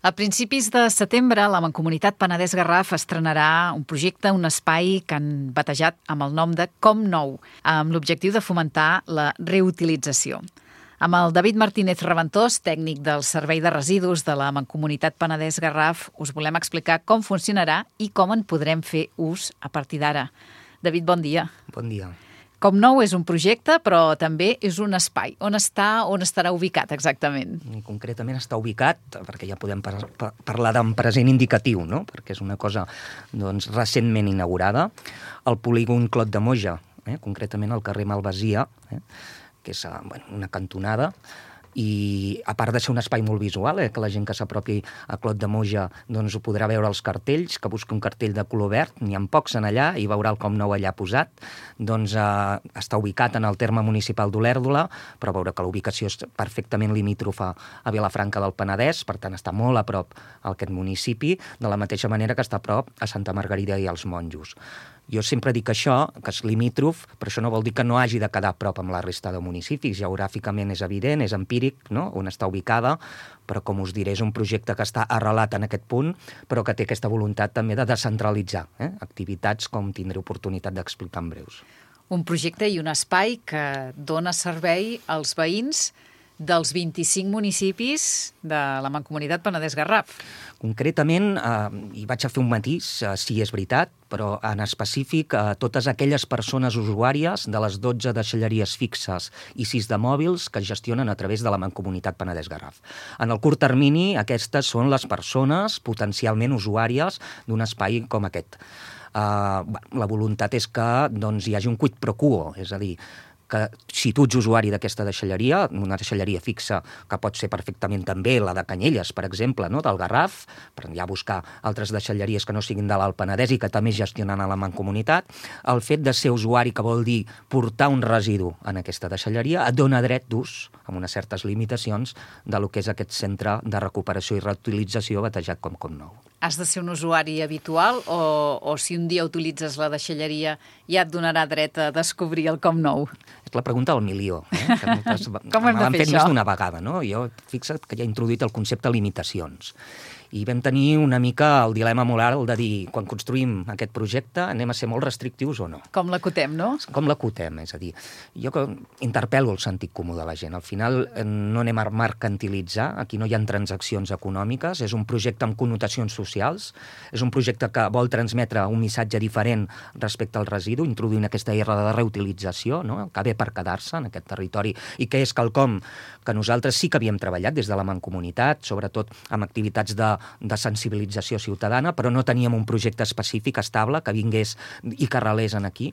A principis de setembre, la Mancomunitat Penedès-Garraf estrenarà un projecte, un espai que han batejat amb el nom de Com Nou, amb l'objectiu de fomentar la reutilització. Amb el David Martínez Reventós, tècnic del Servei de Residus de la Mancomunitat Penedès-Garraf, us volem explicar com funcionarà i com en podrem fer ús a partir d'ara. David, bon dia. Bon dia. Com Nou és un projecte, però també és un espai. On estarà ubicat exactament? Concretament està ubicat, perquè ja podem parlar d'un present indicatiu, no? Perquè és una cosa recentment inaugurada, al polígon Clot de Moja, concretament al carrer Malvasia, que és una cantonada, i a part de ser un espai molt visual, que la gent que s'apropi a Clot de Moja ho podrà veure els cartells, que busqui un cartell de color verd, n'hi ha pocs en allà, i veurà el Com Nou allà posat. Està ubicat en el terme municipal d'Olèrdola, però veure que la ubicació és perfectament limítrofa a Vilafranca del Penedès, per tant està molt a prop a aquest municipi, de la mateixa manera que està a prop a Santa Margarida i als Monjos. Jo sempre dic això, que és limítrof, però això no vol dir que no hagi de quedar a prop amb la resta de municipis. Geogràficament és evident, és empíric, no?, on està ubicada, però com us diré, és un projecte que està arrelat en aquest punt, però que té aquesta voluntat també de descentralitzar activitats, com tindré oportunitat d'explicar en breus. Un projecte i un espai que dona servei als veïns dels 25 municipis de la Mancomunitat Penedès-Garraf. Concretament, hi vaig a fer un matís, sí, és veritat, però en específic totes aquelles persones usuàries de les 12 deixalleries fixes i 6 de mòbils que es gestionen a través de la Mancomunitat Penedès-Garraf. En el curt termini, aquestes són les persones potencialment usuàries d'un espai com aquest. La voluntat és que hi hagi un quid pro quo, és a dir, que si tu ets usuari d'aquesta deixalleria, una deixalleria fixa, que pot ser perfectament també la de Canyelles, per exemple, no?, del Garraf, per ja buscar altres deixalleries que no siguin de l'Alt Penedès i que també gestionen a la Mancomunitat, el fet de ser usuari, que vol dir portar un residu en aquesta deixalleria, et dona dret d'ús, amb unes certes limitacions, de lo que és aquest centre de recuperació i reutilització batejat com Com Nou. Has de ser un usuari habitual o si un dia utilitzes la deixalleria ja et donarà dret a descobrir el Com Nou? És la pregunta del milió. Com hem de fer això? Més d'una vegada, no? Jo, fixa't que ja he introduït el concepte limitacions. I vam tenir una mica el dilema moral de dir, quan construïm aquest projecte, anem a ser molt restrictius o no? Com l'acotem, no? Com l'acotem, és a dir, jo interpel·lo el sentit comú de la gent. Al final no anem a mercantilitzar, aquí no hi ha transaccions econòmiques, és un projecte amb connotacions socials, és un projecte que vol transmetre un missatge diferent respecte al residu, introduint aquesta R de reutilització, no?, que ve per quedar-se en aquest territori, i que és quelcom que nosaltres sí que havíem treballat des de la Mancomunitat, sobretot amb activitats de sensibilització ciutadana, però no teníem un projecte específic estable que vingués i que arrelés aquí.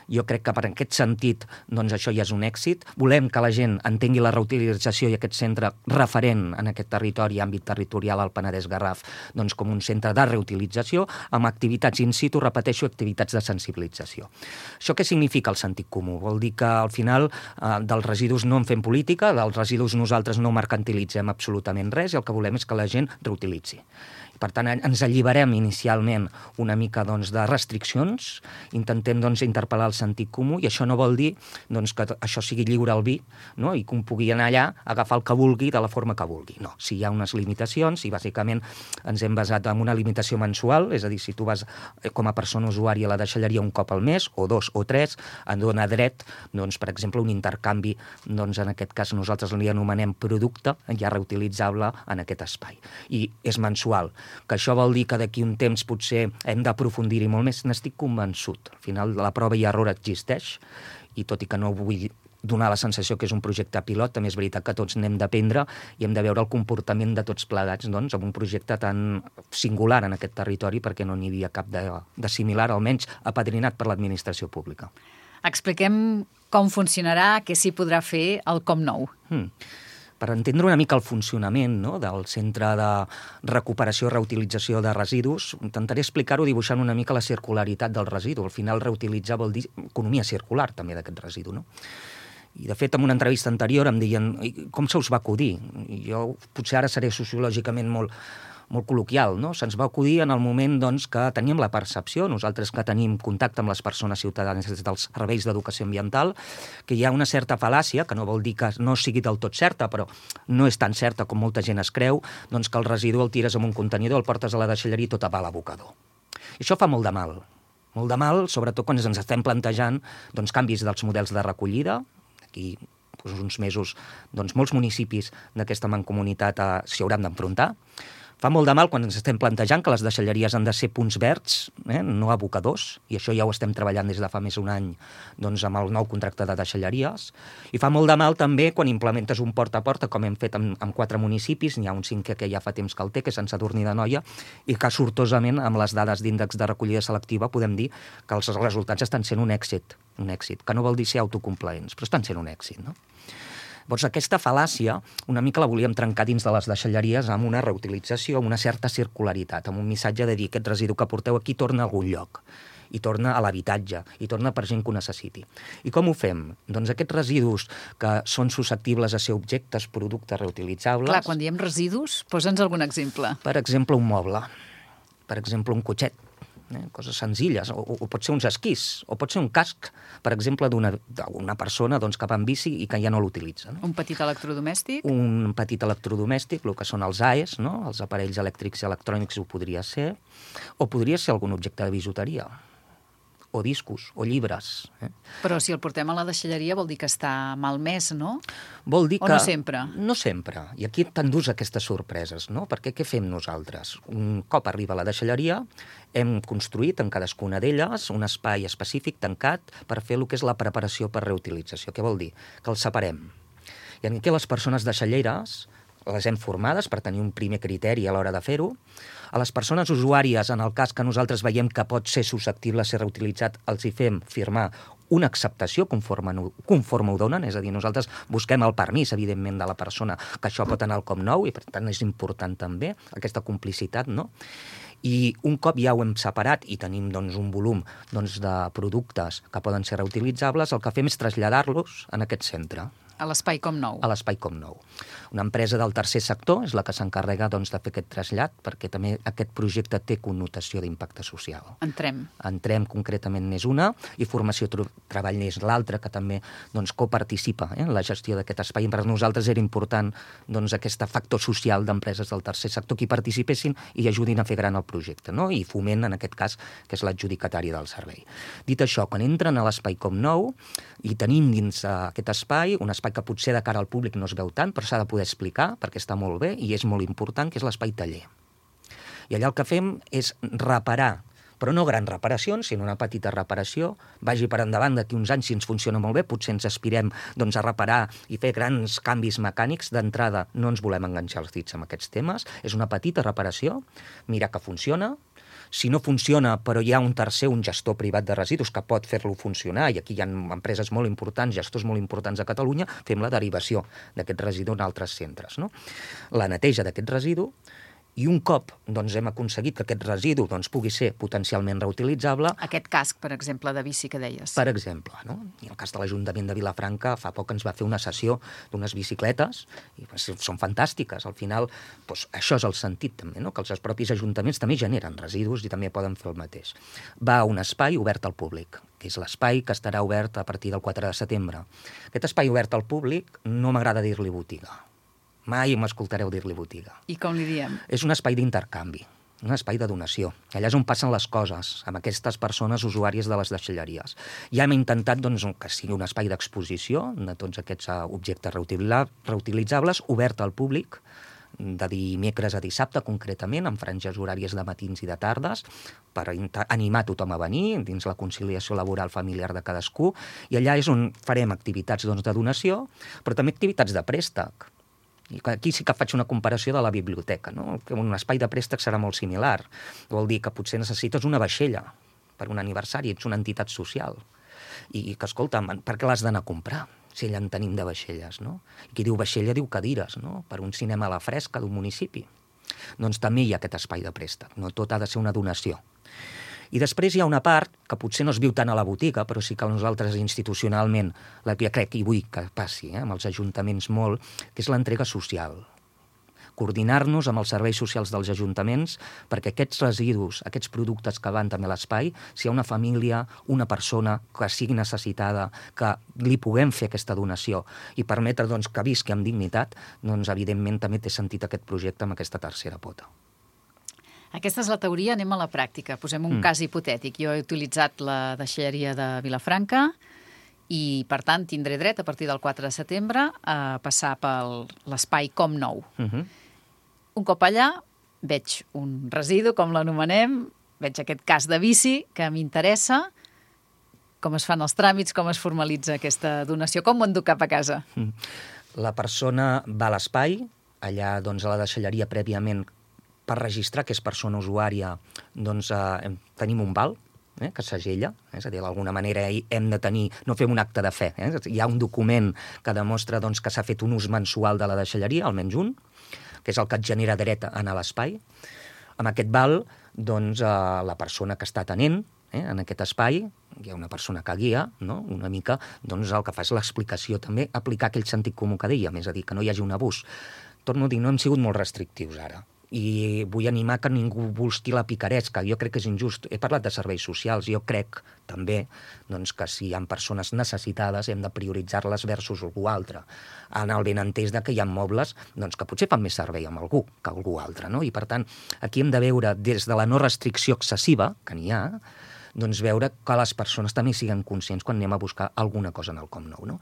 Jo crec que per aquest sentit això ja és un èxit. Volem que la gent entengui la reutilització i aquest centre referent en aquest territori, àmbit territorial al Penedès-Garraf, com un centre de reutilització amb activitats in situ, repeteixo, activitats de sensibilització. Això què significa el sentit comú? Vol dir que al final dels residus no en fem política, dels residus nosaltres no mercantilitzem absolutament res i el que volem és que la gent reutilitzi. Per tant, ens alliberem inicialment una mica de restriccions, intentem interpel·lar el sentit comú, i això no vol dir que això sigui lliure al vi, no?, i que un pugui anar allà, agafar el que vulgui de la forma que vulgui. No, si hi ha unes limitacions, i bàsicament ens hem basat en una limitació mensual, és a dir, si tu vas com a persona usuària a la deixalleria un cop al mes, o 2 o 3, et dona dret, per exemple, un intercanvi, en aquest cas nosaltres li anomenem producte ja reutilitzable en aquest espai. I és mensual. Que això vol dir que d'aquí un temps potser hem d'aprofundir-hi molt més, n'estic convençut. Al final la prova i error existeix, i tot i que no vull donar la sensació que és un projecte pilot, també és veritat que tots n'hem d'aprendre i hem de veure el comportament de tots plegats amb un projecte tan singular en aquest territori, perquè no n'hi havia cap de similar, almenys apadrinat per l'administració pública. Expliquem com funcionarà, què s'hi podrà fer al Com Nou. Per entendre una mica el funcionament del Centre de Recuperació i Reutilització de Residus, intentaré explicar-ho dibuixant una mica la circularitat del residu. Al final, reutilitzar vol dir economia circular, també, d'aquest residu, no? I, de fet, en una entrevista anterior em deien com se us va acudir? I jo potser ara seré sociològicament molt molt col·loquial, no? Se'ns va acudir en el moment doncs, que teníem la percepció, nosaltres que tenim contacte amb les persones ciutadanes dels serveis d'educació ambiental, que hi ha una certa fal·làcia, que no vol dir que no sigui del tot certa, però no és tan certa com molta gent es creu, doncs que el residu el tires en un contenidor, el portes a la deixalleria i tot va a l'abocador. I això fa molt de mal. Molt de mal, sobretot quan ens estem plantejant doncs, canvis dels models de recollida. Aquí uns mesos doncs, molts municipis d'aquesta mancomunitat s'hi hauran d'enfrontar. Fa molt de mal quan ens estem plantejant que les deixalleries han de ser punts verds, no abocadors, i això ja ho estem treballant des de fa més d'un any doncs, amb el nou contracte de deixalleries. I fa molt de mal també quan implementes un porta a porta, com hem fet amb 4 municipis, n'hi ha un 5 que ja fa temps que el té, que és Sant Sadurní d'Anoia, i que sortosament amb les dades d'índex de recollida selectiva podem dir que els resultats estan sent un èxit, que no vol dir ser autocomplaents, però estan sent un èxit, no? Llavors, aquesta fal·làcia una mica la volíem trencar dins de les deixalleries amb una reutilització, amb una certa circularitat, amb un missatge de dir aquest residu que porteu aquí torna a algun lloc, i torna a l'habitatge, i torna per gent que ho necessiti. I com ho fem? Doncs aquests residus que són susceptibles a ser objectes, productes reutilitzables... Clar, quan diem residus, posa'ns algun exemple. Per exemple, un moble, per exemple, un cotxet, coses senzilles, o pot ser uns esquís, o pot ser un casc, per exemple, d'una persona doncs, que va en bici i que ja no l'utilitza. No? Un petit electrodomèstic? Un petit electrodomèstic, el que són els AES, no? Els aparells elèctrics i electrònics ho podria ser, o podria ser algun objecte de bijuteria, o discos, o llibres. Però si el portem a la deixalleria vol dir que està malmès, no? Vol dir que... O no sempre? No sempre. I aquí t'endús aquestes sorpreses, no? Perquè què fem nosaltres? Un cop arriba a la deixalleria, hem construït en cadascuna d'elles un espai específic tancat per fer el que és la preparació per reutilització. Què vol dir? Que els separem. I aquí les persones deixalleres les hem formades per tenir un primer criteri a l'hora de fer-ho. A les persones usuàries, en el cas que nosaltres veiem que pot ser susceptible a ser reutilitzat, els hi fem firmar una acceptació conforme ho donen, és a dir, nosaltres busquem el permís, evidentment, de la persona que això pot anar al COM9 i, per tant, és important també aquesta complicitat, no? I un cop ja ho hem separat i tenim doncs, un volum doncs, de productes que poden ser reutilitzables, el que fem és traslladar-los en aquest centre. A l'Espai COM9. A l'Espai COM9. Una empresa del tercer sector és la que s'encarrega doncs, de fer aquest trasllat, perquè també aquest projecte té connotació d'impacte social. Entrem concretament n'és una, i Formació Treball n'és l'altra, que també doncs, coparticipa en la gestió d'aquest espai. Per nosaltres era important doncs, aquest factor social d'empreses del tercer sector que hi participessin i ajudin a fer gran el projecte, no? I Foment, en aquest cas, que és l'adjudicatari del servei. Dit això, quan entren a l'Espai COM9 i tenim dins aquest espai, un espai que potser de cara al públic no es veu tant, però s'ha de poder explicar perquè està molt bé i és molt important, que és l'espai taller. I allà el que fem és reparar, però no grans reparacions, sinó una petita reparació, vagi per endavant d'aquí uns anys si ens funciona molt bé, potser ens aspirem doncs, a reparar i fer grans canvis mecànics. D'entrada no ens volem enganxar els dits amb aquests temes, és una petita reparació, mirar que funciona. Si no funciona, però hi ha un tercer, un gestor privat de residus que pot fer-lo funcionar, i aquí hi ha empreses molt importants, gestors molt importants a Catalunya, fem la derivació d'aquest residu en altres centres, no? La neteja d'aquest residu, i un cop doncs, hem aconseguit que aquest residu doncs, pugui ser potencialment reutilitzable... Aquest casc, per exemple, de bici que deies. Per exemple, no? I el cas de l'Ajuntament de Vilafranca fa poc ens va fer una sessió d'unes bicicletes, i són fantàstiques. Al final, doncs, això és el sentit també, no? Que els propis ajuntaments també generen residus i també poden fer el mateix. Va a un espai obert al públic, que és l'espai que estarà obert a partir del 4 de setembre. Aquest espai obert al públic no m'agrada dir-li botiga. Mai m'escoltareu dir-li botiga. I com li diem? És un espai d'intercanvi, un espai de donació. Allà és on passen les coses, amb aquestes persones usuàries de les deixalleries. Ja hem intentat doncs, que sigui un espai d'exposició de tots aquests objectes reutilitzables, obert al públic, de dimecres a dissabte, concretament, amb franges horàries de matins i de tardes, per animar tothom a venir, dins la conciliació laboral familiar de cadascú, i allà és on farem activitats doncs, de donació, però també activitats de préstec. I aquí sí que faig una comparació de la biblioteca, no? Un espai de préstec serà molt similar. Vol dir que potser necessites una vaixella per un aniversari, ets una entitat social. I que, escolta, per què l'has d'anar a comprar? Si allà en tenim de vaixelles, no? I qui diu vaixella diu cadires, no? Per un cinema a la fresca d'un municipi. Doncs també hi ha aquest espai de préstec, no tot ha de ser una donació. I després hi ha una part que potser no es viu tant a la botiga, però sí que nosaltres institucionalment, la que crec i vull que passi amb els ajuntaments molt, que és l'entrega social. coordinar-nos amb els serveis socials dels ajuntaments perquè aquests residus, aquests productes que van també a l'espai, si hi ha una família, una persona que sigui necessitada, que li puguem fer aquesta donació i permetre doncs, que visqui amb dignitat, doncs evidentment també té sentit aquest projecte amb aquesta tercera pota. Aquesta és la teoria, anem a la pràctica. Posem un cas hipotètic. Jo he utilitzat la deixalleria de Vilafranca i, per tant, tindré dret, a partir del 4 de setembre, a passar per l'espai Com Nou. Un cop allà, veig un residu, com l'anomenem, veig aquest cas de bici que m'interessa, com es fan els tràmits, com es formalitza aquesta donació, com m'ho enduc cap a casa. La persona va a l'espai, allà doncs, a la deixalleria prèviament per registrar que és persona usuària, doncs tenim un val que segella, és a dir, d'alguna manera hem de tenir, no fem un acte de fe, hi ha un document que demostra doncs, que s'ha fet un ús mensual de la deixalleria, almenys un, que és el que et genera dret a anar a l'espai. Amb aquest val, doncs, la persona que està atenent en aquest espai, hi ha una persona que guia, no? Una mica, doncs el que fa és l'explicació també, aplicar aquell sentit comú que dèiem, és a dir, que no hi hagi un abús. Torno a dir, no hem sigut molt restrictius ara, i vull animar que ningú busqui la picaresca. Jo crec que és injust. He parlat de serveis socials. Jo crec també doncs, que si hi ha persones necessitades hem de prioritzar-les versus algú altre. En el benentès que hi ha mobles doncs, que potser fan més servei amb algú que algú altre. No? I per tant, aquí hem de veure des de la no restricció excessiva, que n'hi ha, doncs veure que les persones també siguin conscients quan anem a buscar alguna cosa en el Com Nou. No?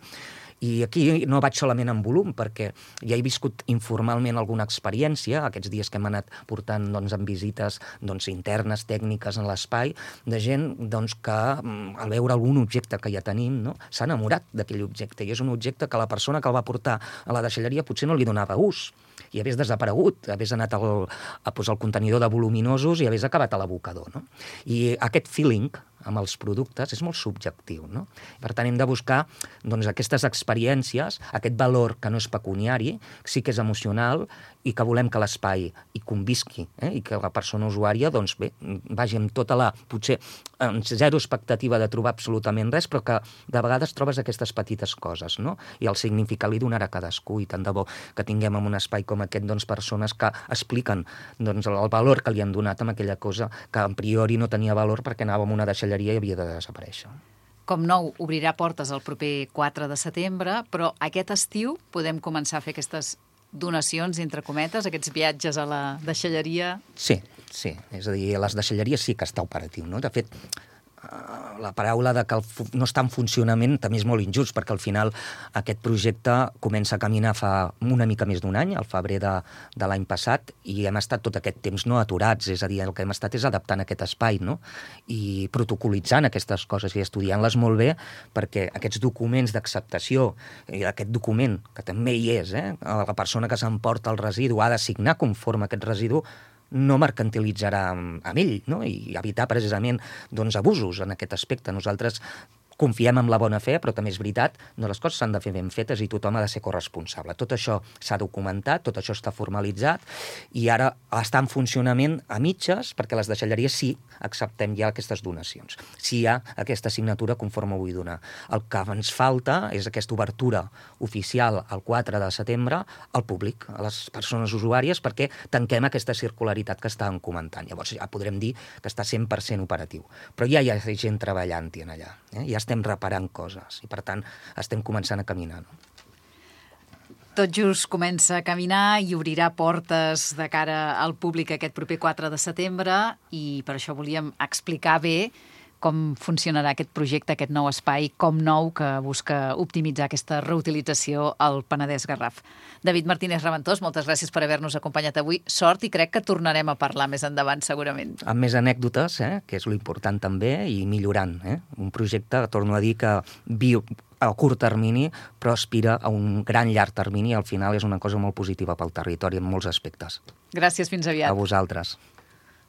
I aquí no vaig solament en volum, perquè ja he viscut informalment alguna experiència, aquests dies que hem anat portant doncs, en visites doncs, internes, tècniques en l'espai, de gent doncs, que al veure algun objecte que ja tenim no, s'ha enamorat d'aquell objecte, i és un objecte que la persona que el va portar a la deixalleria potser no li donava ús, i hagués desaparegut, hagués anat a posar el contenidor de voluminosos i hagués acabat a l'abocador. No? I aquest feeling amb els productes és molt subjectiu. No? Per tant, hem de buscar doncs, aquestes experiències, aquest valor que no és pecuniari, sí que és emocional i que volem que l'espai hi convisqui i que la persona usuària doncs, bé, vagi amb tota la, potser, amb zero expectativa de trobar absolutament res, però que de vegades trobes aquestes petites coses, no? I el significat li donarà a cadascú, i tant de bo que tinguem en un espai com aquest doncs, persones que expliquen doncs, el valor que li han donat amb aquella cosa que a priori no tenia valor perquè anava amb una deixalleria i havia de desaparèixer. Com Nou obrirà portes el proper 4 de setembre, però aquest estiu podem començar a fer aquestes donacions, entre cometes, aquests viatges a la deixalleria? Sí. És a dir, les deixalleries sí que està operatiu, no? De fet, la paraula de que no està en funcionament també és molt injust, perquè al final aquest projecte comença a caminar fa una mica més d'un any, al febrer de l'any passat, i hem estat tot aquest temps no aturats, és a dir, el que hem estat és adaptant aquest espai, no? I protocolitzant aquestes coses i estudiant-les molt bé, perquè aquests documents d'acceptació, i aquest document, que també hi és, la persona que s'emporta el residu ha de signar conforme aquest residu, no mercantilitzarà amb ell, no? I evitar precisament doncs, abusos en aquest aspecte. Nosaltres confiem en la bona fe, però també és veritat, no, les coses s'han de fer ben fetes i tothom ha de ser corresponsable. Tot això s'ha documentat, tot això està formalitzat i ara està en funcionament a mitges perquè les deixalleries sí acceptem ja aquestes donacions. Sí hi ha aquesta assignatura conforme vull donar. El que ens falta és aquesta obertura oficial el 4 de setembre al públic, a les persones usuàries, perquè tanquem aquesta circularitat que estàvem comentant. Llavors ja podrem dir que està 100% operatiu. Però ja hi ha gent treballant-hi en allà. Ja estem reparant coses i, per tant, estem començant a caminar. No? Tot just comença a caminar i obrirà portes de cara al públic aquest proper 4 de setembre i per això volíem explicar bé com funcionarà aquest projecte, aquest nou espai Com Nou que busca optimitzar aquesta reutilització al Penedès Garraf. David Martínez Raventós, moltes gràcies per haver-nos acompanyat avui. Sort i crec que tornarem a parlar més endavant, segurament. Amb més anècdotes, que és l'important també, i millorant. Un projecte, torno a dir, que viu a curt termini, però aspira a un gran llarg termini i al final és una cosa molt positiva pel territori en molts aspectes. Gràcies, fins aviat. A vosaltres.